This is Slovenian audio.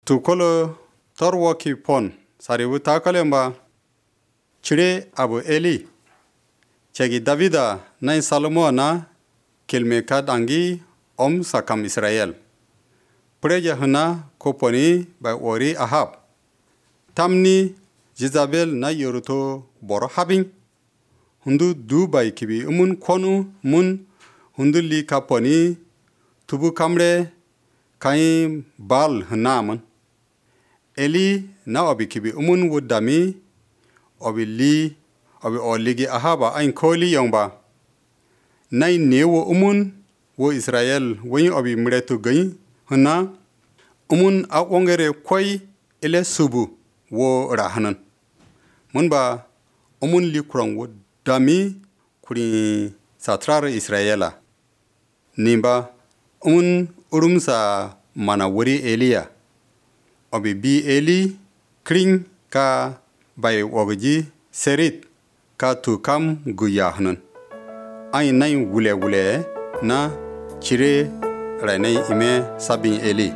tukolo torwo ki pon sariwu takalemba chire abu Eli chegi Davida na Salomo na kilme kadangi sakam Israel preja huna koponi by ori Ahab tamni Jezabel na yoruto boro habing hundu Dubai kibi konu mun hundu li kaponi tubu kamre kai bal hnaman Eli na obi kibi wudami obi oligi Ahaba ain koli yongba nai newo wo Israel wen obi mretu gai hna a ongere koi ele subu wo rahanan munba li kurang wo dami kuri satrar Israela nimba urumsa mana wuri Elia obi bi Eli kring ka bai wogji serit ka tukam guyahnan ai nai wule na chire rainai ime sabin Eli